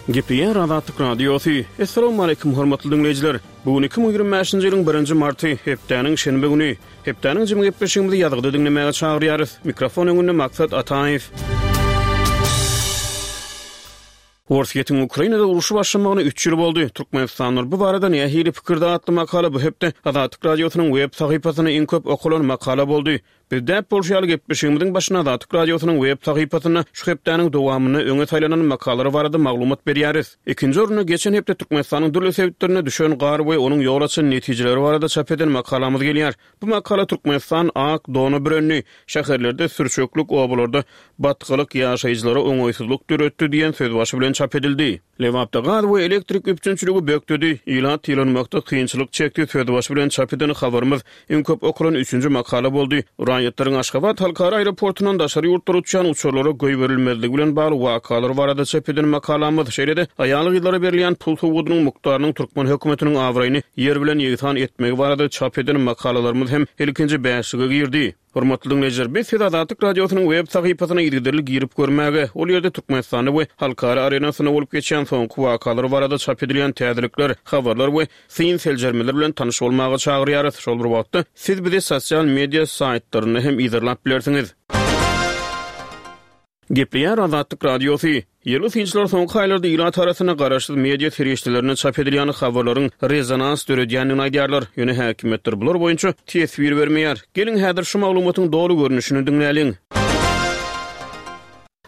Gepleýär Azatlyk Radiosy. Assalamualaikum hormatly diňleýjiler. Bu gün 2025-nji ýylyň 1-nji marty, hepdäniň şenbe güni. Hepdäniň jemi gepleşigimizi ýazgyda diňlemäge çagyrýarys. Mikrofon öňünde Maksat Ataýew. Orsýetiň Ukrainada urşy başlamagyna üç ýyl boldy. Türkmenistanlylar bu barada nähili pikirde atly makala bu hepde Azatlyk Radiosynyň web sahypasynda iň köp okalan makala boldy. Biz däp bolşy ýaly gepleşigimiziň başynda Azatlyk Radiosynyň web sahypasynda şu hepdäniň dowamynda öňe saýlanan makalalar barada maglumat berýäris. Ikinji orunda geçen hepde Türkmenistanyň dürli sebitlerinde düşen gar we onuň ýol açan netijeleri barada çap eden makalamyz gelýär. Bu makala Türkmenistan ak dona bürendi, şäherlerde sürçeklik, obalarda batgalyk ýaşaýjylara oňaýsyzlyk döretdi diýen sözbaşy bilen çap edildi. Lebapda gaz we elektrik üpjünçiligi bökdedi, ilat ýylanmakda kynçylyk çekdi sözbaşy bilen çap eden habarymyz iň köp okalan üçünji makala boldy. Raýatlaryň Aşgabat halkara aeroportundan daşary ýurtlara uçýan uçarlara goýberilmezligi bilen bagly wakalar barada çap eden makalamyz, şeýle-de aýal-gyzlara berilýän pul sowgadynyň mukdarynyň türkmen hökümetiniň abraýyny ýer bilen ýegsan etmegi barada çap eden makalalarymyz hem ilkinji bäşlige girdi. Hormatly diňleýjiler, biz sizi Azatlyk Radiosynyň web sahypasyna yzygiderli girip görmäge, ol ýerde Türkmenistanda we halkara arenasynda bolup geçýän soňky wakalar barada çap edilýän täzelikler, habarlar we syn-seljermeler bilen tanyş bolmaga çagyrýarys. Şol bir wagtda, siz bizi sosial media saýtlarynda hem yzarlap bilersiňiz. Gepleýär Azatlyk Radiosy. Ýerli synçylar soňky aýlarda ilat arasynda garaşsyz media serişdelerinde çap edilýän habarlaryň rezonans döredýändigini aýdýarlar. Ýöne häkimiýetler bular boýunça teswir bermeýär. Geliň, häzir şu maglumatyň doly görnüşini diňläliň.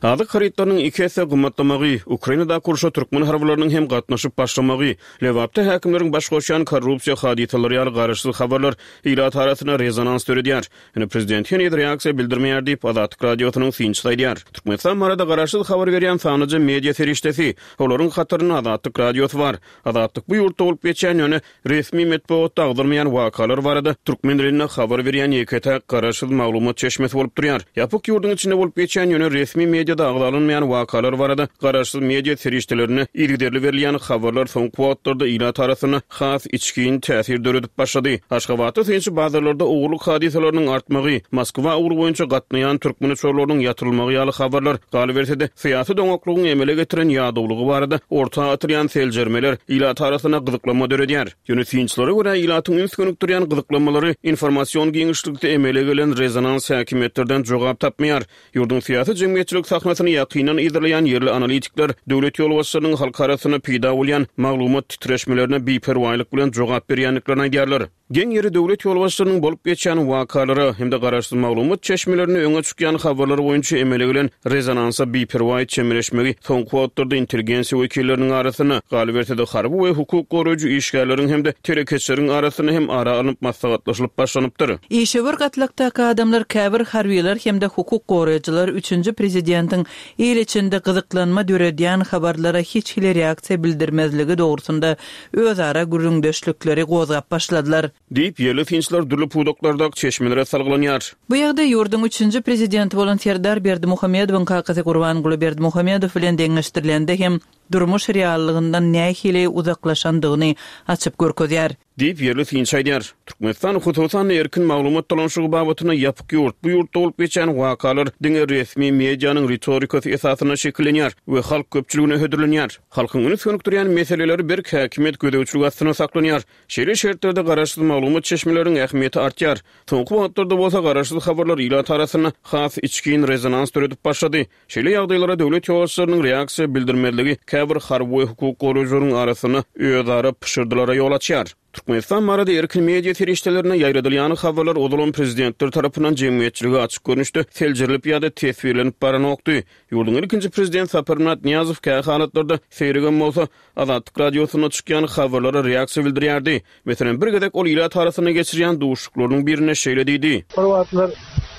Azyk harytlarynyň iki esse gymmatlamagy, Ukrainadaky urşa türkmen harbylarynyň hem gatnaşyp başlamagy, Lebapda häkimleriň baş goşýan korrupsiýa hadysalary ýaly garaşsyz habarlar ilat arasynda rezonans döredýär. Ýöne prezident heniz reaksiýa bildirmeýär diýip, Azatlyk Radiosynyň synçysy aýdýar. Türkmenistan barada garaşsyz habar berýän sanlyja media serişdesi. Olaryň hatarynda Azatlyk Radiosy bar. Azatlyk bu ýurtda bolup geçýän, ýöne resmi metbugatda agzalmaýan wakalar barada türkmen dilinde habar berýän ýeke-täk garaşsyz maglumat çeşmesi bolup durýar. Ýapyk ýurduň içinde bolup geçýän, ýöne resmi mediada agzalynmaýan wakalar barada garaşsyz media serişdelerinde yzygiderli berilýän habarlar soňky wagtlarda ilat arasynda has içgin täsir döredip başlady. Aşgabatda synçy bazarlarda ogurlyk hadysalarynyň artmagy, Moskwa ugry boýunça gatnaýan türkmen uçarlarynyň ýatyrylmagy ýaly habarlar, galyberse-de, syýasy doňaklygyň emele getiren ýadawlygy barada orta atylýan seljermeler ilat arasynda gyzyklanma döredýär. Ýöne synçylara görä, ilatyň üns gönükdirýän gyzyklanmalary informasion giňişlikde emele gelen rezonans häkimiýetlerden jogap tapmaýar. Ýurduň syýasy-jemgyýetçilik sahnasyny ýakyndan yzarlaýan ýerli analitikler döwlet ýolbaşçylarynyň halk arasynda peýda bolýan maglumat titreşmelerine biperwaýlyk bilen jogap berýändiklerini aýdýarlar. Geň ýeri döwlet ýolbaşçylarynyň bolup geçýän wakalara hem-de garaşsyz maglumat çeşmelerinde öňe çykýan habarlar boýunça emele gelen rezonansa biperwaý çemeleşmegi soňky wagtlarda intelligensiýa wekilleriniň arasynda, galyberse-de harby we hukuk goraýjy işgärleriň hem-de telekeçileriň arasynda hem ara alnyp maslahatlaşylyp başlanypdyr. Işewür gatlakdaky adamlar, käbir harbylar hem-de hukuk goraýjylar üçünji prezidentiň il içinde gyzyklanma döredýän habarlara hiç hili reaksiýa bildirmezligi dogrusynda özara gürrüňdeşlikleri gozgap başladylar. Diýip, ýerli synçylar dürli pudaklardaky çeşmelere salgylanýar. Bu ýagdaý ýurduň üçünji prezidenti bolan Serdar Berdimuhamedowyň kakasy Gurbanguly Berdimuhamedow bilen deňeşdirilende hem durmuş reallygyndan nähili uzaklaşandygyny açyp görkezýär. Diýip, ýerli synçy aýdýar. Türkmenistan, hususan-da, erkin maglumat dolanyşygy babatynda ýapyk ýurt. Bu ýurtda bolup geçýän wakalar diňe resmi medianyň ritorikasy esasynda şekillenýär we halk köpçüligine hödürlenýär. Halkyň üns gönükdirýän meseleleri berk häkimiýet gözegçiligi astynda saklanýar. Şeýle şertlerde garaşsyz maglumat çeşmeleriniň ähmiýeti artýar. Soňky wagtlarda bolsa garaşsyz habarlar ilat arasynda has içgin rezonans döredip başlady. Şeýle ýagdaýlara döwlet ýolbaşçylarynyň reaksiýa bildirmezligi käbir harby we hukuk goraýjylaryň arasynda özara pyşyrdylara ýol açýar. Türkmenistan barada erkin media serişdelerinde ýaýradylýan habarlar ozalam prezidentler tarapyndan jemgyýetçilige açyk görnüşde seljerilip ýa-da teswirlenip baranokdy. Ýurduň ilkinji prezidenti Saparmyrat Nyýazow kä halatlarda, seýregem bolsa, Azatlyk Radiosynda çykýan habarlara reaksiýa bildirýärdi. Meselem, bir gezek ol ilat arasynda geçirýän duşuşyklarynyň birinde şeýle diýdi. Bir wagtlar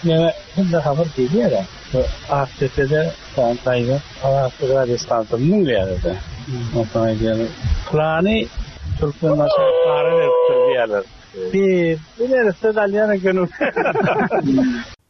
maňa hemme habar gelýär-ä. Şu Akdepede sany daýza Azatlyk radiostansiýasyny diňleýärler-de. Onsoň aýdýarlar, Pylany Türkmenbaşa para beripdir diýýärler. Bi, bu neresse-de alýan eken.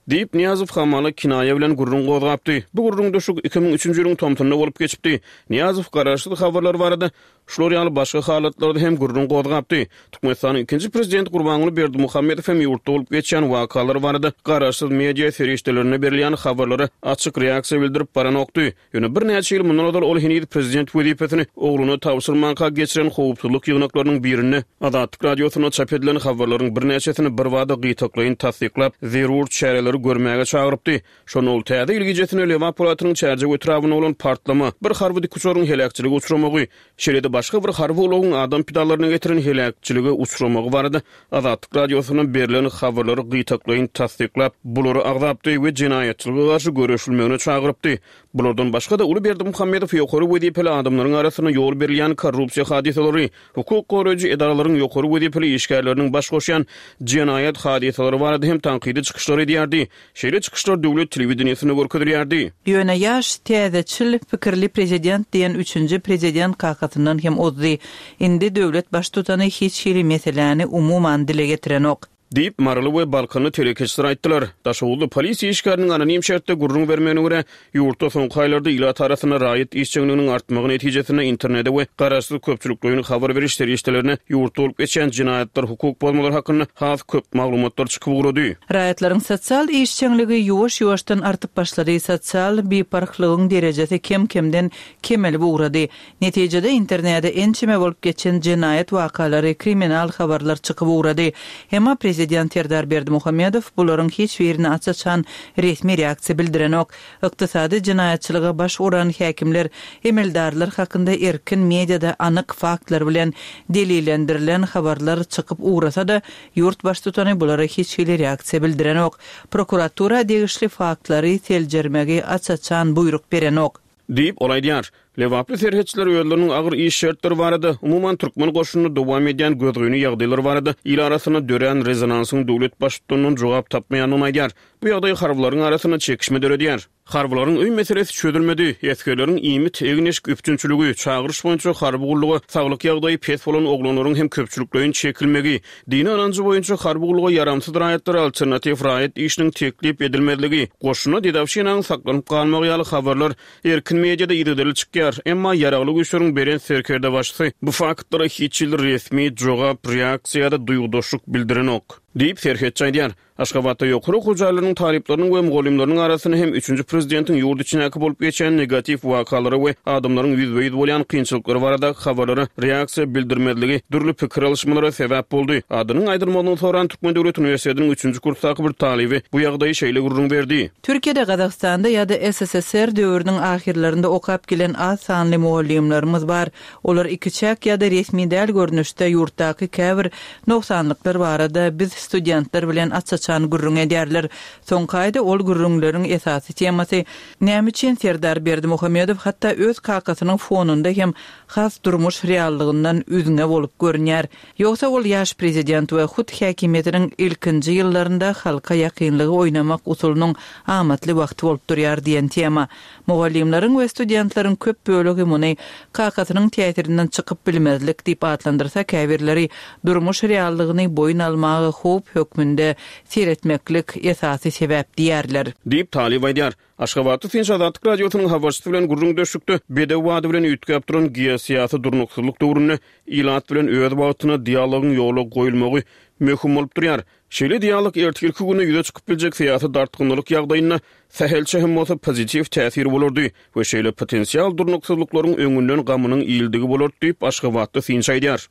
Diýip, Nyýazow hamala kinaýa bilen gürrüň gozgapdy. Bu gürrüňdeşlik 2003-nji ýylyň tomsunda bolup geçipdi. Nyýazow garaşsyz habarlar barada şular ýaly başga halatlarda hem gürrüň gozgapdy. Türkmenistanyň ikinji prezidenti Gurbanguly Berdimuhamedow hem ýurtda bolup geçýän wakalar barada garaşsyz media serişdelerinde berilýän habarlara açyk reaksiýa bildirip baranokdy. Ýöne birnäçe ýyl mundan ozal ol heniz prezident wezipesini ogluna tabşyrmanka geçiren howpsuzlyk ýygnaklarynyň birinde Azatlyk Radiosynda çap edilen habarlaryň birnäçesini birbada gytaklaýyn tassyklap, zerur çäreleri görmäge çagyrypdy. Şonda ol Täze ýyl gijesinde Lebap welaýatynyň Çärjew etrabynda bolan partlama, bir harby dikuçaryň heläkçilige uçramagy, şeýle-de başga bir harby ulagyň adam pidalaryna getiren heläkçilige uçramagy barada Azatlyk Radiosynda berlen habarlary gytaklaýyn tassyklap, bulary agzapdy we jenaýatçylyga garşy göreşilmegine çagyrypdy. Bulardan başga-da, uly Berdimuhamedow ýokary wezipeli adamlaryň arasynda ýol berilýän korrupsiýa hadysalary, hukuk goraýjy edaralaryň ýokary wezipeli işgärleriniň baş goşýan jenaýat hadysalary barada hem tankydy çykyşlar edýärdi. Şeýle çykyşlar döwlet telewideniýesinde görkezilýärdi. Ýöne ýaş, täzeçil pikirli prezident diýen üçünji prezident kakasyndan hem ozdy. Indi döwlet baştutany hiç hili meseläni umuman dile getirenok. Diýip, maryly we balkanly telekeçiler aýtdylar. Daşoguzly polisiýa işgäriniň anonim şertde gürrüň bermegine görä, ýurtda soňky aýlarda ilat arasynda raýat işjeňliginiň artmagy netijesinde internede we garaşsyz köpçülikleýin habar beriş serişdelerine ýurtda bolup geçýän jenaýatlar, hukuk bozmalar hakynda has köp maglumatlar çykyp ugrady. Raýatlaryň sosial işjeňligi ýuwaş-ýuwaşdan artyp başlady, sosial biparhlygyň derejesi kem-kemden kemelip ugrady. Netijede internede ençeme bolup geçen jenaýat wakalary, kriminal habarlar çykyp ugrady. Emma prezident Serdar Berdimuhamedow bularyň hiç birine aç-açan resmi reaksiýa bildirenok. Ykdysady jenaýatçylyga baş uran häkimler, emeldarlar hakynda erkin mediada anyk faktlar bilen delillendirilen habarlar çykyp ugrasa-da, ýurt baştutany bulara hiç hili reaksiýa bildirenok. Prokuratura degişli faktlary seljermegi aç-açan buýruk berenok. Diýip, ol aýdýar. Lebaply serhetçiler özleriniň agyr iş şertleri barada, umuman, türkmen goşunynda dowam edýän gözgyny ýagdaýlar barada il arasynda dörän rezonansyň döwlet baştutanyndan jogap tapmaýandygyny aýdýar. Bu ýagdaý harbylaryň arasynda çekişme döredýär. Harbylaryň öý meselesi çözülmedi, esgerleriň iýmit, egin-eşik üpjünçiligi, çagyryş boýunça harby gulluga saglyk ýagdaýy pes bolan oglanlaryň hem köpçülikleýin çekilmegi, dini ynanjy boýunça harby gulluga ýaramsyz raýatlara alternatiw raýat işiniň teklip edilmezligi, goşunda dedowşinanyň saklanyp galmagy ýaly habarlar erkin mediada yzygiderli çykýar. Emma Ýaragly Güýçleriň Belent Serkerdebaşysy bu faktlara hiç hili resmi jogap, reaksiýa ýa-da duýgudaşlyk bildirenok. Diýip, serhetçi aýdýar. Aşgabatda ýokary okuw jaýlarynyň talyplarynyň we mugallymlarynyň arasynda hem üçünji prezidentiň ýurt içindäki bolup geçýän negatiw wakalara we adamlaryň ýüzbe-ýüz bolýan kynçylyklary baradaky habarlara reaksiýa bildirmezligi dürli pikir alyşmalara sebäp boldy. Adynyň aýdylmagyny soran Türkmen döwlet uniwersitetiniň üçünji kursdaky bir talyby bu ýagdaýy şeýle gürrüň berdi. Türkiýede, Gazagystanda ýa-da SSSR döwrüniň ahyrlarynda okap gelen az sanly mugallymlarymyz bar. Olar ikiçäk ýa-da resmi däl görnüşde ýurtdaky käbir nogsanlyklar barada biz studentler bilen aç-açan gürrüň edýärler. Soňky aýda ol gürrüňleriň esasy temasy Näme üçin Serdar Berdimuhamedow hatda öz kakasynyň fonunda hem has durmuş reallygyndan üzňe bolup görünýär? Ýogsa ol ýaş prezident we hut häkimiýetiniň ilkinji ýyllarynda halka ýakynlygy oýnamak usulynyň amatly wagty bolup durýar diýen tema. Mugallymlaryň we studentleriň köp bölegi muny kakasynyň täsirinden çykyp bilmezlik diýip atlandyrsa, käbirleri durmuş reallygyny boýun almaga howp hökmünde seretmeklik esasy sebäp diýýärler. Diýip, talyp aýdýar. Aşgabatda synçy Azatlyk Radiosynyň habarçysy bilen gürrüňdeşlikde bedew bady bilen üýtgäp duran geosyýasy durnuksyzlyk döwründe ilat bilen öz wagtynda dialogyň ýola goýulmagy möhüm bolup durýar. Şeýle dialog ertirki günde ýüze çykyp biljek syýasy dartgynlylyk ýagdaýynda sähelçe hem bolsa pozitiw täsiri bolardy we şeýle potensial durnuksyzlyklaryň öňünden gamynyň iýildigi bolardy diýip, aşgabatly synçy aýdýar.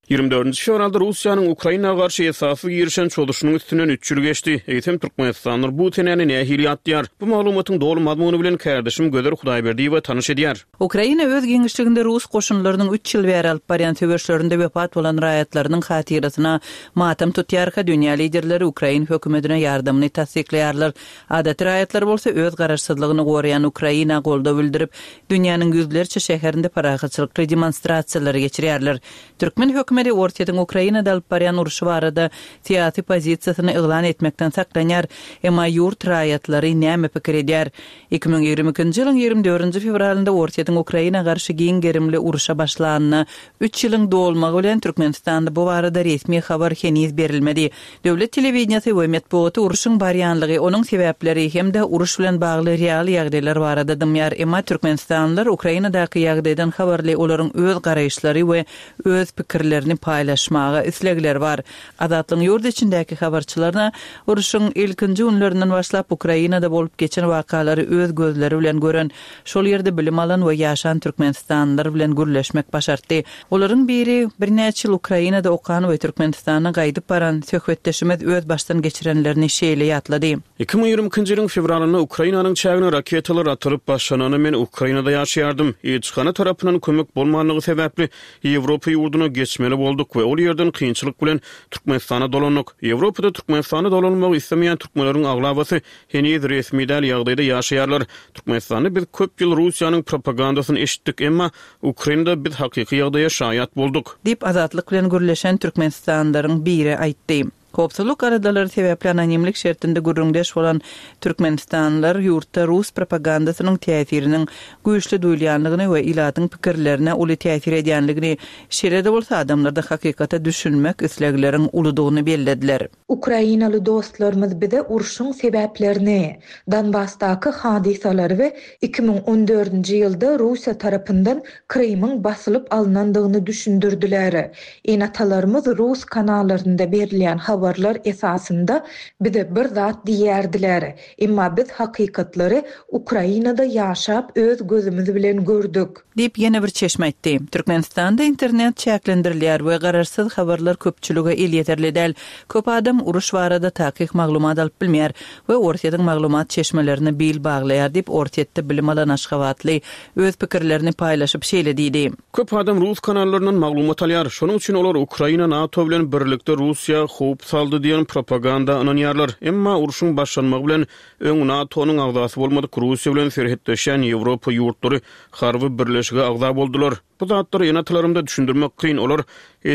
Ýigrimi dördünji fewralda Russiýanyň Ukraina garşy esassyz girişen çozuşynyň üstünden üç ýyl geçdi. Eýsem, türkmenistanlylar bu senäni nähili ýatlaýar? Bu maglumatyň doly mazmuny bilen kärdeşim Gözel Hudaýberdiýewa tanyş edýär. Ukraina öz giňişliginde rus goşunlarynyň üç ýyl bäri alyp barýan söweşlerinde wepat bolan raýatlarynyň hatyrasyna matam tutýarka, dünýä liderleri ukrain hökümetine ýardamyny tassyklaýarlar. Adaty raýatlar bolsa öz garaşsyzlygyny goraýan Ukraina goldaw bildirip, dünýäniň ýüzlerçe şäherinde parahatçylykly demonstrasiýalary geçirýärler. Türkmen hökümeti. hökümeti Orsýetiň Ukrainada alyp barýan urşy barada syýasy pozisiýasyny yglan etmekden saklanýar. Emma ýurt raýatlary näme pikir edýär? 2022-nji ýylyň 24-nji fewralynda Orsýetiň Ukraina garşy giň gerimli urşa başlanyna üç ýylyň dolmagy bilen Türkmenistanda bu barada resmi habar heniz berilmedi. Döwlet telewideniýesi we metbugaty urşuň barýanlygy, onuň sebäpleri hem-de uruş bilen bagly real ýagdaýlar barada dymýar. Emma türkmenistanlylar Ukrainadaky ýagdaýdan habarly, olaryň öz garaýyşlary we öz pikirlerini paýlaşmaga islegleri bar. Azatlygyň ýurt içindäki habarçylaryna urşuň ilkinji günlerinden başlap Ukrainada bolup geçen wakalary öz gözleri bilen gören, şol ýerde bilim alan we ýaşan türkmenistanlylar bilen gürleşmek başartdy. Olaryň biri, birnäçe ýyl Ukrainada okan we Türkmenistana gaýdyp baran söhbetdeşimiz öz başdan geçirenlerini şeýle ýatlady. 2022-nji ýylyň fewralynda Ukrainanyň çägine raketalar atylyp başlananda men Ukrainada ýaşaýardym. Ilçihana tarapyndan kömek bolmanlygy sebäpli Ýewropa ýurduna geçmeli bolduk we ol ýerden kynçylyk bilen Türkmenistana dolandyk. Ýewropada Türkmenistana dolanmagy islemeýän türkmenleriň aglabasy heniz resmi däl ýagdaýda ýaşaýarlar. Türkmenistanda biz köp ýyl Russiýanyň propagandasyny eşitdik, emma Ukrainada biz hakyky ýagdaýa şaýat bolduk. Diýip, Azatlyk bilen gürleşen türkmenistanlylaryň biri aýtdy. Howpsuzlyk aladalary sebäpli anonimlik şertinde gürrüňdeş bolan türkmenistanlylar ýurtda rus propagandasynyň täsiriniň güýçli duýulýandygyny we ilatyň pikirlerine uly täsir edýändigini, şeýle-de bolsa adamlarda hakykata düşünmek islegleriň uludygyny bellediler. Ukrainaly dostlarymyz bize urşuň sebäplerini, Donbasdaky hadysalary we 2014-nji ýylda Russiýa tarapyndan Krymyň basylyp alnandygyny düşündirdiler. Ene-atalarymyz rus kanallarynda berilýän habarlar esasynda bize bir zat diýýärdiler. Emma biz hakykatlary Ukrainada ýaşap öz gözümiz bilen gördük. Diýip, ýene bir çeşme aýtdy. Türkmenistanda internet çäklendirilýär we garaşsyz habarlar köpçülige elýeterli däl. Köp adam uruş barada takyk maglumat alyp bilmeýär we Orsýetiň maglumat çeşmelerine bil baglaýar diýip, Orsýetde bilim alan aşgabatly öz pikirlerini paýlaşyp şeýle diýdi. Köp adam rus kanallaryndan maglumat alýar. Şonuň üçin olar Ukraina NATO bilen birlikde Russiýa howp saldy diýen propaganda ynanýarlar. Emma urşuň başlanmagy bilen öň NATO-nyň agzasy bolmadyk Russiýa bilen serhetleşýän Ýewropa ýurtlary harby birleşige agza boldular. Bu zatlary ene-atalarymda düşündirmek kyn, olar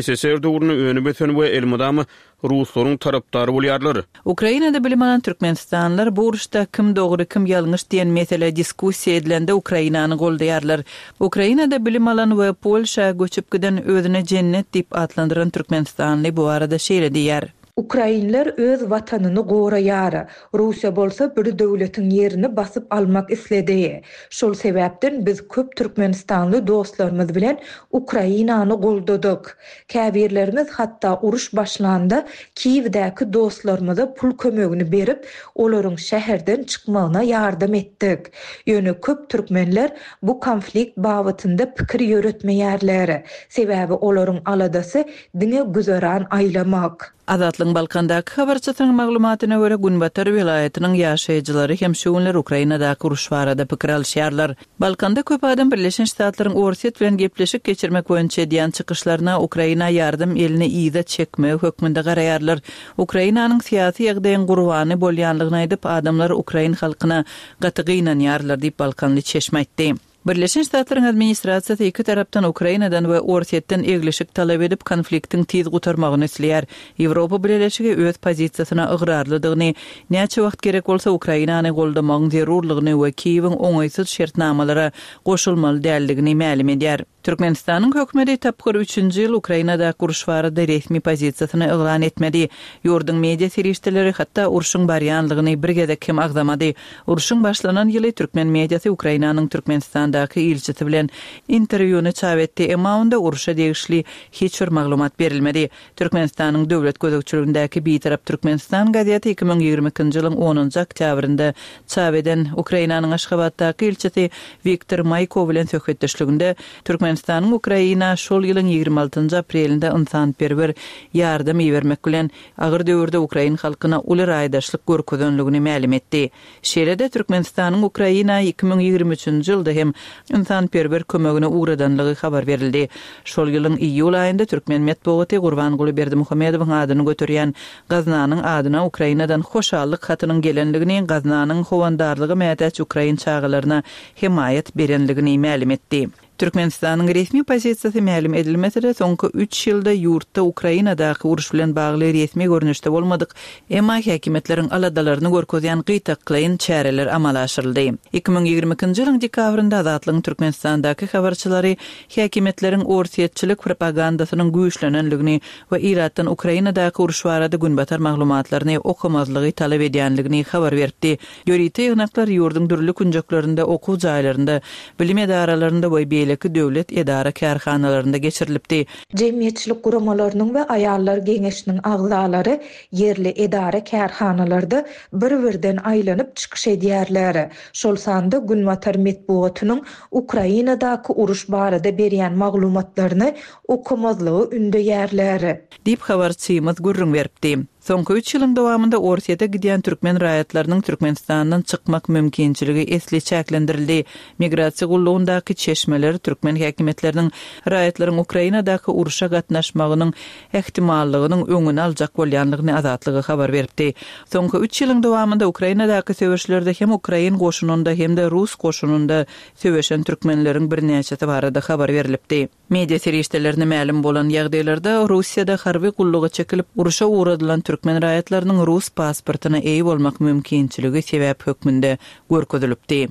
SSR döwründe önüp-ösen we elmydama ruslaryň tarapdary bolýarlar. Ukrainada bilim alan türkmenistanlylar bu uruşda kim dogry, kim ýalňyş diýen mesele diskussiýa edilende Ukrainany goldaýarlar. Ukrainada bilim alan we Polşa göçüp giden özüne Jennet diýip atlandyran türkmenistanly bu barada şeýle diýýär. Ukrainler öz watanyny goraýar. Russiýa bolsa bir döwletiň ýerini basyp almak isledi. Şol sebäpden biz köp türkmenistanly dostlarymyz bilen Ukrainany goldadyk. Käbirlerimiz hatda uruş başlanda Kiýewdäki dostlarymyza pul kömegini berip, olaryň şäherden çykmagyna ýardam etdik. Ýöne köp türkmenler bu konflikt babatynda pikir ýöretmeýärler. Sebäbi olaryň aladasy diňe güzeran aýlamak. Azatlygyň Balkandaky habarçysynyň maglumatyna görä, günbatar welaýatynyň ýaşaýjylary hem şu günler Ukrainadaky uruş barada pikir alyşýarlar. Balkanda köp adam Birleşen Ştatlaryň Orsýet bilen gepleşik geçirmek boýunça edýän çykyşlaryna Ukraina ýardam elini yza çekmegi hökmünde garaýarlar. Ukrainanyň syýasy ýagdaýyň gurbany bolýanlygyny aýdyp, adamlar ukrain halkyna gaty gynanýarlar diýip, balkanly çeşme aýtdy. Birleşen Ştatlaryň administrasiýasy iki tarapdan Ukrainadan we Orsýetden eglişik talap edip, konfliktiň tiz gutarmagyny isleýär. Ýewropa Bileleşigi öz pozisiýasyna ygrarlydygyny, näçe wagt gerek bolsa Ukrainany goldamagyň zerurlygyny we Kiýewiň oňaýsyz şertnamalara goşulmaly däldigini mälim edýär. Türkmenistanyň hökümeti tapgyr üçünji ýyl Ukrainadaky uruş barada resmi pozisiýasyny yglan etmedi. Ýurduň media serişdeleri hatda urşuň barýanlygyny bir gezek hem agzamady. Urşuň başlanan ýyly türkmen mediasy Ukrainanyň Türkmenistandaky ilçisi bilen interwýuny çap etdi, emma onda urşa degişli hiç bir maglumat berilmedi. Türkmenistanyň döwlet gözegçiligindäki Bitarap Türkmenistan gazeti 2022-nji ýylyň onunjy oktýabrynda çap eden Ukrainanyň Aşgabatdaky ilçisi Wiktor Maýko bilen söhbetdeşliginde Türkmenistanyň Ukraina şol ýylyň 26-njy aprelinde ynsanperwer ýardam ibermek bilen, agyr döwürde ukrain halkyna uly raýdaşlyk görkezenligini mälim etdi. Şeýle-de Türkmenistanyň Ukraina 2023-nji ýylda hem ynsanperwer kömegini ugradanlygy habar berildi. Şol ýylyň iýul aýynda türkmen metbugaty Gurbanguly Berdimuhamedowyň adyny göterýän gaznanyň adyna Ukrainadan hoşallyk hatynyň gelenligini, gaznanyň howandarlyga mätäç ukrain çagalaryna hemaýat berenligini mälim etdi. Türkmenistanyň resmi pozisiýasy mälim edilmese-de, soňky üç ýylda ýurtda Ukrainadaky uruş bilen bagly resmi görnüşde bolmadyk, emma häkimiýetleriň aladalaryny görkezýän gytaklaýyn çäreler amala aşyryldy. 2022-nji ýylyň dekabrynda Azatlygyň Türkmenistandaky habarçylary häkimiýetleriň orsýetçilik propagandasynyň güýçlenendigini we ilatdan Ukrainadaky uruş barada günbatar maglumatlaryny okamazlygy talap edýändigini habar beripdi. Ýörite ýygnaklar ýurduň dürli künjeklerinde okuw jaýlarynda, bilim edaralarynda we beýleki döwlet edara-kärhanalarynda geçirilipdi. Jemgyýetçilik guramalarynyň we aýallar geňeşiniň agzalary ýerli edara-kärhanalarda bir-birden aýlanyp çykyş edýärler. Şol sanda günbatar metbugatynyň Ukrainadaky uruş barada berýän maglumatlaryny okamazlygy ündeýärler. Diýip, habarçymyz gürrüň beripdi. Soňky üç ýylyň dowamynda Orsýete gidýän türkmen raýatlarynyň Türkmenistandan çykmak mümkinçiligi esli çäklendirildi. Migrasiýa gullugyndaky çeşmeler türkmen häkimiýetleriniň raýatlaryň Ukrainadaky urşa gatnaşmagynyň ähtimallygynyň öňüni aljak bolýanlygyny Azatlyga habar beripdi. Soňky üç ýylyň dowamynda Ukrainadaky söweşlerde hem ukrain goşunynda hem-de rus goşunynda söweşen türkmenleriň birnäçesi barada habar berlipdi. Media serişdelerine mälim bolan ýagdaýlarda, Russiýada harby gulluga çekilip, urşa ugradylan türkmen raýatlarynyň rus pasportyna eýe bolmak mümkinçiligi sebäp hökmünde görkezilipdi.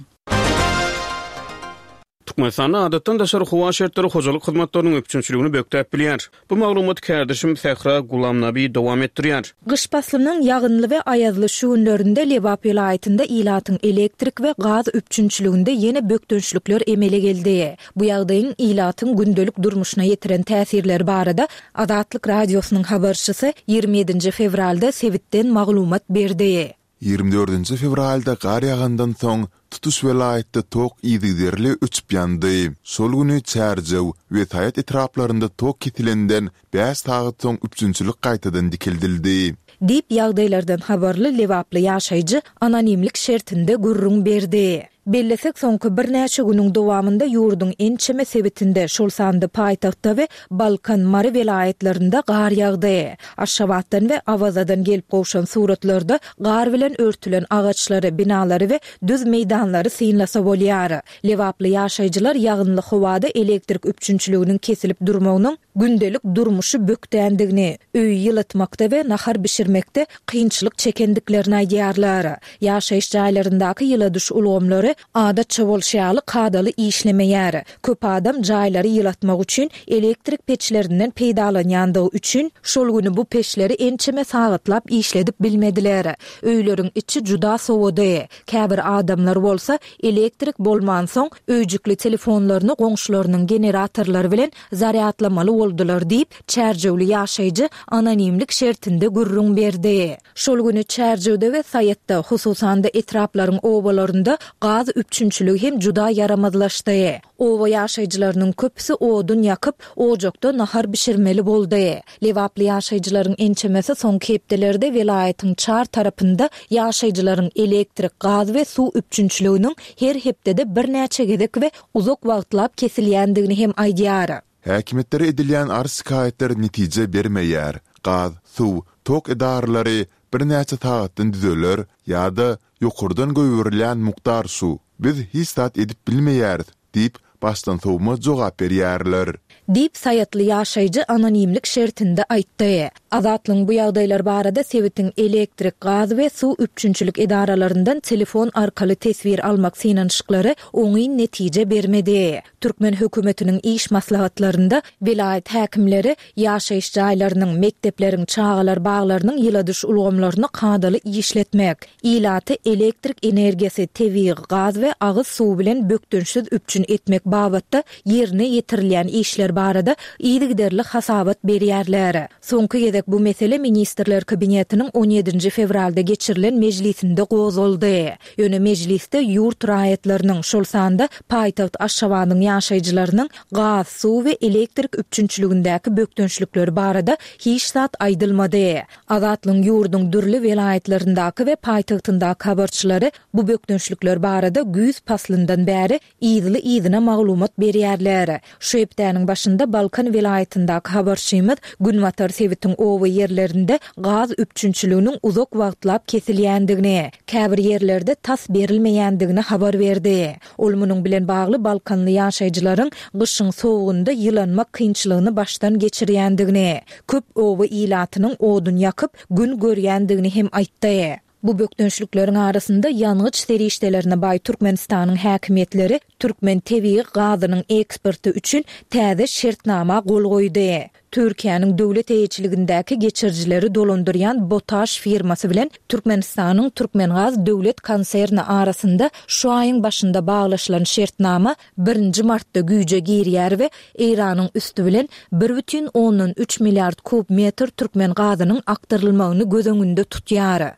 Türkmenistanda adatdan daşary howa şertleri hojalyk hyzmatlarynyň üpjünçiligini bökdäp bilýär. Bu maglumaty kärdeşim Sähra Gulamnabi dowam etdirýär. Gyş paslynyň ýagynly we aýazly şu günlerinde Lebap welaýatynda ilatyň elektrik we gaz üpjünçiliginde ýene bökdençlikler emele geldi. Bu ýagdaýyň ilatyň gündelik durmuşyna ýetiren täsirleri barada Azatlyk Radiosynyň habarçysy 27-nji fewralda sebitden maglumat berdi. 24-nji fewralda gar ýagandan soň, tutuş welaýatda tok yzygiderli öçüp ýandy. Şol güni Çärjew we Saýat etraplarynda tok kesilenden bäş sagat soň üpjünçilik gaýtadan dikeldildi. Diýip, ýagdaýlardan habarly lebaply ýaşaýjy anonimlik şertinde gürrüň berdi. Bellesek, soňky birnäçe günüň dowamynda ýurduň ençeme sebitinde, şol sanda paýtagtda we Balkan, Mary welaýatlarynda gar ýagdy. Aşgabatdan we Awazadan gelip gowşan suratlarda gar bilen örtülen agaçlary, binalary we düz meýdanlary synlasa bolýar. Lebaply ýaşaýjylar ýagynly howada elektrik üpjünçiliginiň kesilip durmagynyň gündelik durmuşy bökdändigini, öýi ýylatmakda we nahar bişirmekde kynçylyk çekendiklerini aýdýarlar. Ýaşaýyş jaýlaryndaky ýyladyş ulgamlary adatça bolşy ýaly kadaly işlemeýär. Köp adam jaýlary ýylatmak üçin elektrik peçlerinden peýdalanýandygy üçin, şol güni bu peçleri ençeme sagatlap işledip bilmediler. Öýleriň içi juda sowady. Käbir adamlar bolsa, elektrik bolmansoň, öýjükli telefonlaryny goňşularynyň generatorlary bilen zarýadlamaly boldular diýip, çärjewli ýaşaýjy anonimlik şertinde gürrüň berdi. Şol güni Çärjewde we Saýatda, hususan-da etraplaryň obalarynda gaz üpjünçiligi hem juda ýaramazlaşdy. Oba ýaşaýjylarynyň köpüsi odun ýakyp, ojakda nahar bişirmeli boldy. Lebaply ýaşaýjylaryň ençemesi soňky hepdelerde welaýatyň çar tarapynda ýaşaýjylaryň elektrik, gaz we suw üpjünçiliginiň her hepdede birnäçe gezek we uzak wagtlap kesilýändigini hem aýdýar. Häkimiýetlere edilýän arz-şikaýatlar netije bermeýär. Gaz, suw, tok edaralary birnäçe sagatdan düzeler ýa-da ýokardan goýberilýän mukdar şu, biz hiç zat edip bilmeýäris diýip, başdansowma jogap berýärler. Diýip, saýatly ýaşaýjy anonimlik şertinde aýtdy. Azatlygyň bu ýagdaýlar barada sebitiň elektrik, gaz we suw üpjünçilik edaralaryndan telefon arkaly teswir almak synanyşyklary oňyn netije bermedi. Türkmen hökümetiniň iş maslahatlarynda welaýat häkimleri ýaşaýyş jaýlarynyň, mekdepleriň, çagalar baglarynyň ýyladyş ulgamlaryny kadaly işletmek, ilaty elektrik energiýasy, tebigy gaz we agyz suwy bilen bökdençsiz üpjün etmek babatda ýerine ýetirilýän işler barada yzygiderli hasabat berýärler. Soňky gezek bu mesele Ministrler Kabinetiniň on ýedinji fewralda geçirilen mejlisinde gozgaldy. Ýöne mejlisde ýurt raýatlarynyň, şol sanda paýtagt Aşgabadyň ýaşaýjylarynyň gaz, suw we elektrik üpjünçiligindäki bökdençlikleri barada hiç zat aýdylmady. Azatlygyň ýurduň dürli welaýatlaryndaky we paýtagtyndaky habarçylary bu bökdençlikler barada güýz paslyndan bäri yzly-yzyna maglumat berýärler. Şu hepdäniň başynda Balkan welaýatyndaky habarçymyz günbatar sebitiň. oba ýerlerinde gaz üpjünçiliginiň uzak wagtlap kesilýändigini, käbir ýerlerde tas berilmeýändigini habar berdi. Ol munuň bilen bagly balkanly ýaşaýjylaryň gyşyň sowugynda ýylanmak kynçylygyny başdan geçirýändigini, köp oba ilatynyň odun ýakyp, gün görýändigini hem aýtdy. Bu bökdençlikleriň arasynda ýangyç serişdelerine baý Türkmenistanyň häkimiýetleri türkmen tebigy gazynyň eksporty üçin täze şertnama gol goýdy. Türkiýäniň döwlet eýeçiligindäki geçirijileri dolandyrýan Botaş firmasy bilen Türkmenistanyň Türkmengaz döwlet konserni arasynda şu aýyň başynda baglaşylan şertnama birinji martda güýje girýär we Eýranyň üsti bilen 1,3 milliard kub metr türkmen gazynyň akdyrylmagyny göz öňünde tutýar.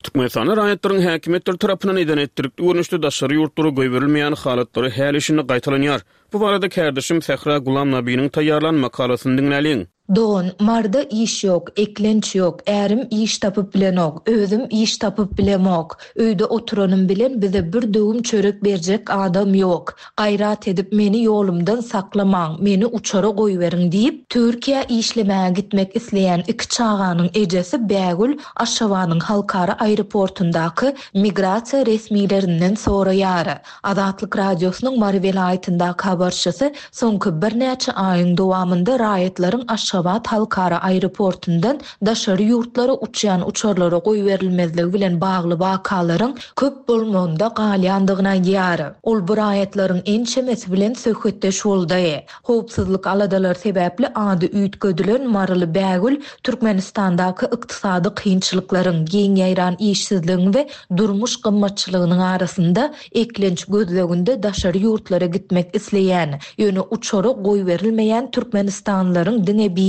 Türkmenistanda raýatlaryň häkimiýetler tarapyndan eden-etdilikli görnüşde daşary ýurtlara goýberilmeýän halatlary häli-şindi gaýtalanýar. Bu barada kärdeşim Sähra Gulamnabiniň taýýarlan makalasyny diňläliň. Dogan, Maryda iş ýok, eklenç ýok, ärim iş tapyp bilenok, özüm iş tapyp bilemok. Öýde oturanym bilen bize bir döwüm çörek berjek adam ýok. Gaýrat edip meni ýolumdan saklamaň, meni uçara goýberiň diýip, Türkiýä işlemäge gitmek isleýän iki çaganyň ejesi Bägül Aşgabadyň halkara aeroportundaky migrasiýa resmilerinden soraýar. Azatlyk Radiosynyň Mary welaýatyndaky habarçysy soňky birnäçe aýyň dowamynda raýatlaryň Aşgabat halkara aeroportundan daşary ýurtlara uçýan uçarlara goýberilmezligi bilen bagly wakalaryň köp bolmagynda galýandygyny aýdýar. Ol bu raýatlaryň ençemesi bilen söhbetdeş boldy. Howpsuzlyk aladalary sebäpli ady üýtgedilen maryly Bägül Türkmenistandaky ykdysady kynçylyklaryň, giň ýaýran işsizligiň we durmuş gymmatçylygynyň arasynda eklenç gözleginde daşary ýurtlara gitmek isleýän, ýöne uçara goýberilmeýän türkmenistanlylaryň diňe biri.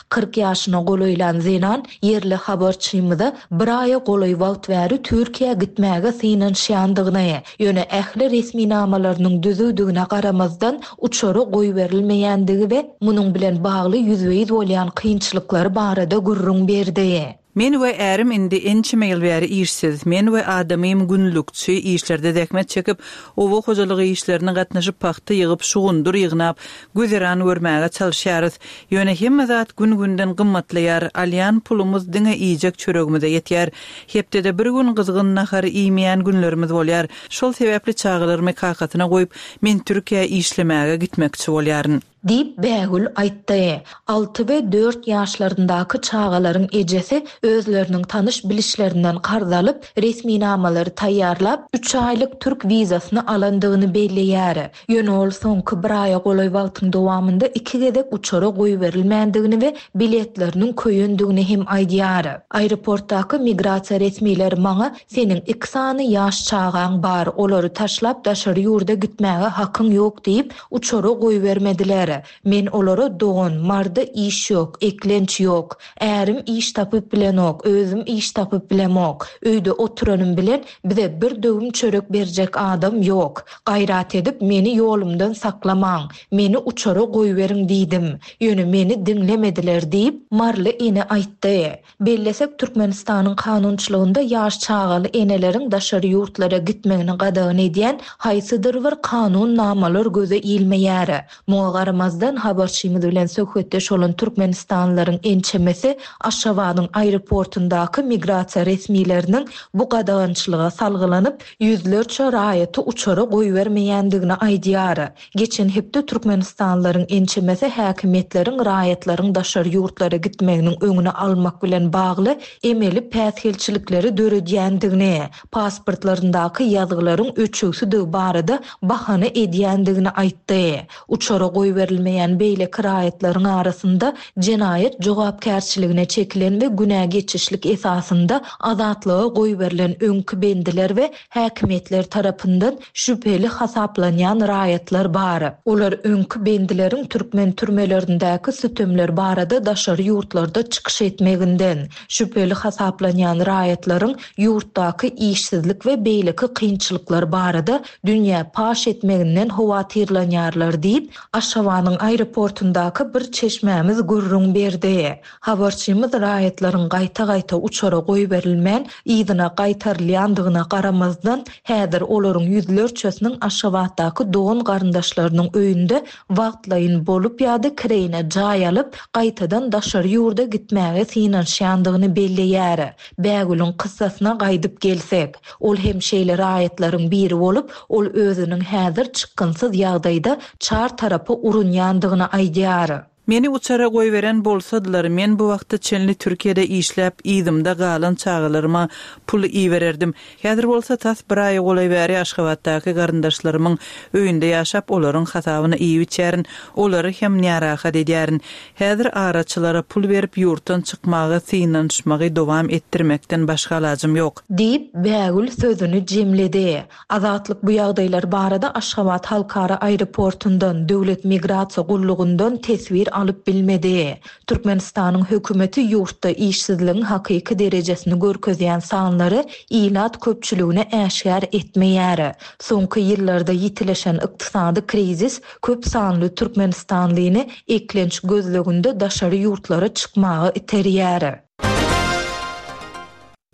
40 ýaşyna golaýlan zenan ýerli habarçymyza bir aýa golaý wagt bäri Türkiýä gitmäge synanyşýandygyny, ýöne ähli resminamalarynyň düzüwdigine garamazdan, uçara goýberilmeýändigi we munuň bilen bagly ýüzbe-ýüz bolýan kynçylyklary barada gürrüň berdi. Men we ärim indi ençeme ýyl bäri işsiz. Men we adamym günlükçi işlerde zähmet çekip, oba hojalygy işlerine gatnaşyp pagta ýygyp, şugundyr ýygnap, güzeran görmäge çalyşýarys. Ýöne hemme zat gün-günden gymmatlaýar, alýan pulumyz diňe iýjek çöregimize ýetýär. Hepdede bir gün gyzgyn nahar iýmeýän günlerimiz bolýar. Şol sebäpli çagalarymy kakasyna goýup, men Türkiýä işlemäge gitmekçi bolýaryn. Diýip, Bägül aýtdy. Alty we dört ýaşlaryndaky çagalaryň ejesi özleriniň tanyş-bilişlerinden karz alyp, resminamalary taýýarlap, üç aýlyk türk wizasyny alandygyny belleýär. Ýöne ol soňky bir aýa golaý wagtyň dowamynda iki gezek uçara goýberilmändigini we biletleriniň köýendigini hem aýdýar. Aeroportdaky migrasiýa resmileri maňa Seniň iki sany ýaş çagaň bar, olary taşlap daşary ýurda gitmäge hakyň ýok diýip, uçara goýbermediler. Men olara dogan, Maryda iş ýok, eklenç ýok. Ärim iş tapyp bilenok, özüm iş tapyp bilemok. Öýde oturanym bilen bize bir döwüm çörek berjek adam ýok. Gaýrat edip, meni ýolumdan saklamaň, meni uçara goýberiň diýdim. Ýöne meni diňlemediler diýip, maryly ene aýtdy. Bellesek, Türkmenistanyň kanunçylygynda ýaş çagaly eneleriň daşary ýurtlara gitmegini gadagan edýän haýsydyr bir kanun namalar göze ilmeýär. Muňa garamazdan, habarçymyz bilen söhbetdeş bolan türkmenistanlylaryň ençemesi Aşgabadyň aeroportundaky migrasiýa resmileriniň bu gadagançylyga salgylanyp, ýüzlerçe raýaty uçara goýbermeýändigini aýdýar. Geçen hepde türkmenistanlylaryň ençemesi häkimiýetleriň raýatlaryň daşary ýurtlara gitmeginiň öňüni almak bilen bagly emeli päsgelçilikleri döredýändigini, pasportlaryndaky ýazgylaryň öçügsidigi barada bahana edýändigini aýtdy. Uçara goýberilmeýän beýleki raýatlaryň arasynda jenaýat jogapkärçiligine çekilen we günä geçişlik esasynda azatlyga goýberilen öňki bendiler we häkimiýetler tarapyndan şübheli hasaplanýan raýatlar bar. Olar öňki bendileriň türkmen türmelerindäki sütemler barada daşary ýurtlarda çykyş etmeginden, şübheli hasaplanýan raýatlaryň ýurtdaky işsizlik we beýleki kynçylyklar barada dünýä paş etmeginden howatyrlanýarlar diýip, Aşgabadyň. Türkmenistanyň aeroportundaky bir çeşmämiz gürrüň berdi. Habarçymyz raýatlaryň gaýta-gaýta uçara goýberilmän, yzyna gaýtarylýandygyna garamazdan, häzir olaryň ýüzlerçesiniň Aşgabatdaky dogan-garyndaşlarynyň öýünde wagtlaýyn bolup ýa-da kireýine jaý alyp, gaýtadan daşary ýurda gitmäge synanyşýandygyny belleýär. Bägülüň kyssasyna gaýdyp gelsek, ol hem şeýle raýatlaryň biri bolup, ol özüniň häzir çykgynsyz ýagdaýda çar tarapa urunýandygyny aýdýar. Meni uçara goýberen bolsadylar, men bu wagta çenli Türkiýede işläp, yzymda galan çagalaryma pul ibererdim. Häzir bolsa tas bir aýa golaý bäri Aşgabatdaky garyndaşlarymyň öýünde ýaşap, olaryň hasabyna iýip-içýärin, olary hem närahat edýärin. Häzir araçylara pul berip, ýurtdan çykmaga synanyşmagy dowam etdirmekden başga alajym ýok. Diýip, Bägül sözüni jemledi. Azatlyk bu ýagdaýlar barada Aşgabat halkara aeroportundan, Döwlet migrasiýa gullugyndan teswir alyp bilmedi. Türkmenistanyň hökümeti ýurtda işsizligiň hakyky derejesini görkezýän sanlary ilat köpçüligine äşgär etmeýär. Soňky ýyllarda ýitileşen ykdysady krizis köp sanly türkmenistanlyny eklenç gözleginde daşary ýurtlara çykmaga iterýär.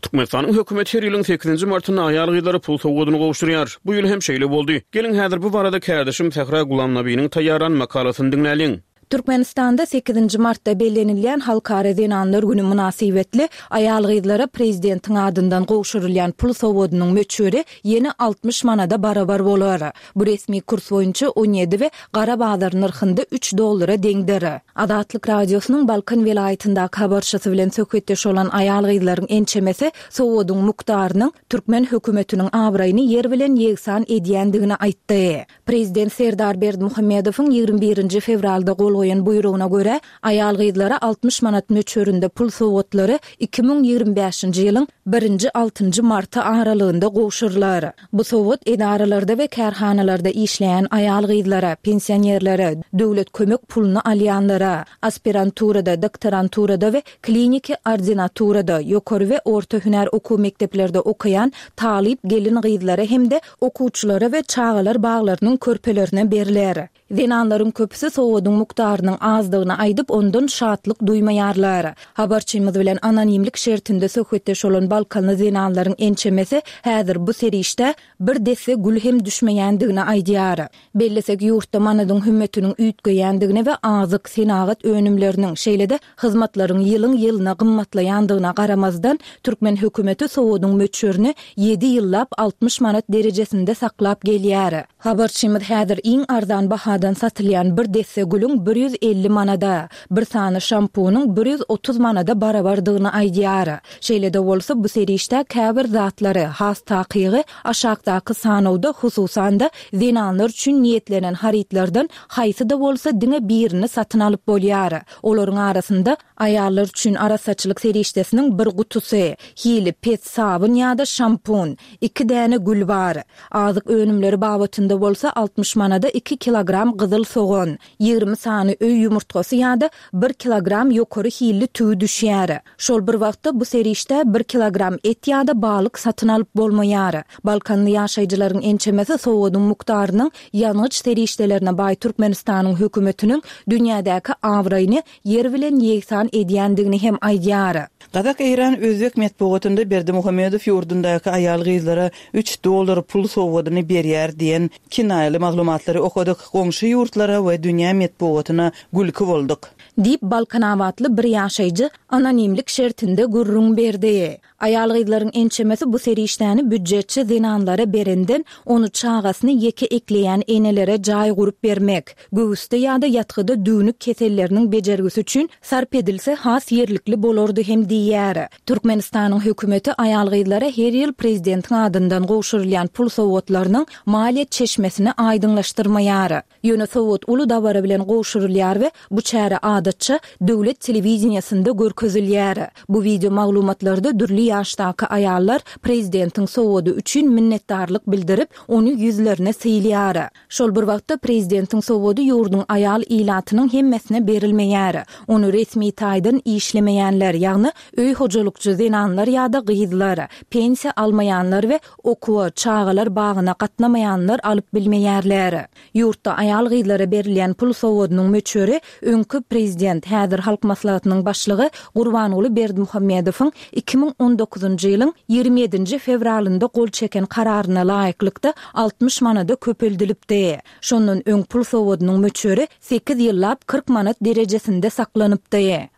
Türkmenistanyň hökümeti her ýylyň sekizinji martynda aýal-gyzlara pul sowgadyny gowşurýar. Bu ýyl hem şeýle boldy. Geliň, häzir bu barada kärdeşim Sähra Gulamnabiniň taýýarlan makalasyny diňläliň. Türkmenistanda sekizinji martda bellenilýän Halkara zenanlar güni mynasybetli aýal-gyzlara prezidentiň adyndan gowşurylýan pul sowgadynyň möçberi ýene 60 manada barabar bolar. Bu resmi kurs boýunça 17 we gara bazar nyrhynda üç dollara deňdir. Azatlyk Radiosynyň Balkan welaýatyndaky habarçysy bilen söhbetdeş bolan aýal-gyzlaryň ençemesi sowgadyň mukdarynyň türkmen hökümetiniň abraýyny ýer bilen ýegsan edýändigini aýtdy. Prezident Serdar Berdimuhamedowyň 21 nji fewralda gol goýan buýrugyna görä, aýal-gyzlara 60 manat möçberinde pul sowgatlary 2025-nji ýylyň birinji-altynjy marty aralygynda gowşurylar. Bu sowgat edaralarda we kärhanalarda işleýän aýal-gyzlara, pensionerlere, döwlet kömek puluny alýanlara, aspiranturada, doktoranturada we kliniki ordinaturada, ýokary we orta hünär okuw mekdeplerde okaýan talyp gelin-gyzlara hem-de okuwçylara we çagalar baglarynyň körpelerine berler. Zenanlaryň köpüsi sowgadyň mukdarynyň azdygyny aýdyp, ondan şatlyk duýmaýarlar. Habarçymyz bilen anonimlik şertinde söhbetdeş bolan balkanly zenanlaryň ençemesi häzir bu serişdä bir desse gül hem düşmeýändigini aýdýar. Bellesek, ýurtda manadyň hümmetiniň üýtgeýändigine we azyk, senagat önümleriniň, şeýle-de hyzmatlaryň ýylyň-ýylyna gymmatlaýandygyna garamazdan, türkmen hökümeti sowgadyň möçberini ýedi ýyllap 60 manat derejesinde saklap gelýär. Habarçymyz häzir iň arzan bahadan satylýan bir desse gülüň 150 manada, bir sany şampunyň 130 manada barabardygyny aýdýar. Şeýle-de bolsa, bu serişdä käbir zatlary, has takygy, aşakdaky sanawda, hususan-da, zenanlar üçin niýetlenen harytlardan haýsy-da bolsa diňe birini satyn alyp bolýar. Olaryň arasynda aýallar üçin arassaçylyk serişdesiniň bir gutusy, hili pes sabyn ýa-da şampun, iki däne gül bar. Azyk önümleri babatynda bolsa 60 manada iki kilogram gyzyl sogan, 20 sany öý ýumurtgasy ýa-da bir kilogram ýokary hilli tüwi düşýär. Şol bir wagtda bu serişdä bir kilogram et ýa-da balyk satyn alyp bolmaýar. Balkanly ýaşaýjylaryň ençemesi sowgadyň mukdarynyň ýangyç serişdelerine baý Türkmenistanyň hökümetiniň dünýädäki abraýyny ýer bilen ýegsan edýändigini hem aýdýar. Gazak, eýran, özbek metbugatynda Berdimuhamedow ýurdundaky aýal-gyzlara üç dollar pul sowgadyny berýär diýen kinaýaly maglumatlary okadyk, goňşy ýurtlara we dünýä metbugatyna gülki bolduk. Diýip, balkanabatly bir ýaşaýjy anonimlik şertinde gürrüň berdi. Aýal-gyzlaryň ençemesi bu serişdäni býujetçi zenanlara berenden, ony çagasyny ýeke ekleýän enelere jaý gurup bermek, göwüsde ýa-da ýatgyda düwnük keselleriniň bejergisi üçin sarp edilse has ýerlikli bolardy hem diýýär. Türkmenistanyň hökümeti aýal-gyzlara her ýyl prezidentiň adyndan gowşurylýan pul sowgatlarynyň maliýe çeşmesini aýdyňlaşdyrmaýar. Ýöne sowgat uly dabara bilen gowşurylýar we bu çäre adatça. adatça, döwlet telewideniýesinde görkezilýär. Bu wideo maglumatlarda dürli ýaşdaky aýallar prezidentiň sowgady üçin minnetdarlyk bildirip, ony ýüzlerine sylýar. Şol bir wagtda, prezidentiň sowgady ýurduň aýal ilatynyň hemmesine berilmeýär. Ony resmi taýdan işlemeýänler, ýagny öý hojalykçy zenanlar ýa-da gyzlar, pensiýa almaýanlar we okuwa, çagalar bagyna gatnamaýanlar alyp bilmeýärler. Ýurtda aýal-gyzlara berilýän pul sowgadynyň möçberi öňki prezident, häzir Halk Maslahatynyň başlygy Gurbanguly Berdimuhamedowyň 2019-njy ýylyň 27-nji fewralynda gol çeken kararyna laýyklykda 60 manada köpeldilipdi. Şondan öň pul sowgadynyň möçberi sekiz ýyllap 40 manat derejesinde saklanypdy.